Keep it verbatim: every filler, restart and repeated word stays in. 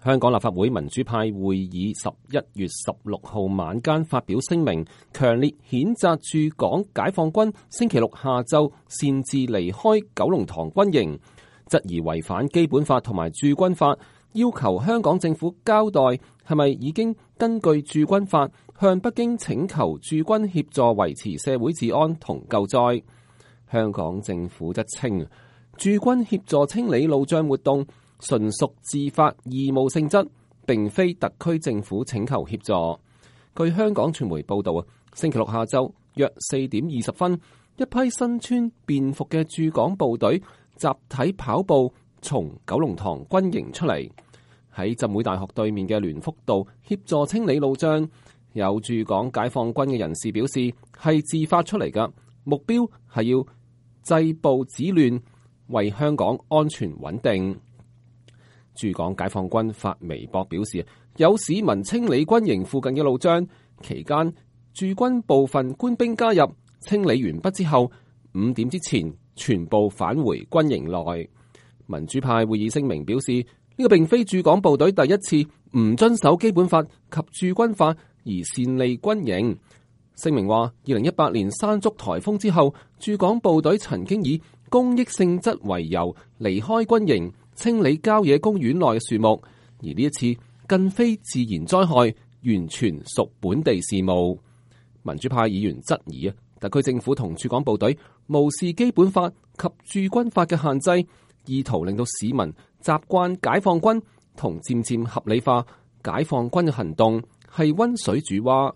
香港立法會民主派會議十一月十六號晚間發表聲明，強烈譴責駐港解放軍星期六下晝擅自離開九龍塘軍營，質疑違反基本法同埋駐軍法，要求香港政府交代係咪已經根據駐軍法向北京請求駐軍協助維持社會治安同救災。香港政府則稱，駐軍協助清理路障活動純屬自發義務性質，並非特區政府請求協助。據香港傳媒報道啊，星期六下晝約四點二十分，一批身穿便服嘅駐港部隊集體跑步從九龍塘軍營出嚟，喺浸會大學對面嘅聯福道協助清理路障。有駐港解放軍嘅人士表示，係自發出嚟㗎，目標係要制暴止亂，為香港安全穩定。駐港解放軍發微博表示，有市民清理軍營附近嘅路障，期間駐軍部分官兵加入，清理完畢之後，五點之前全部返回軍營內。民主派會議聲明表示，呢個並非駐港部隊第一次唔遵守基本法及駐軍法而擅離軍營。聲明話，二零一八年山竹颱風之後，駐港部隊曾經以公益性質為由離開軍營，清理郊野公園內嘅樹木，而呢一次更非自然災害，完全屬本地事務。民主派議員質疑啊，特區政府同駐港部隊無視基本法及駐軍法嘅限制，意圖令到市民習慣解放軍，同漸漸合理化解放軍嘅行動，係溫水煮蛙。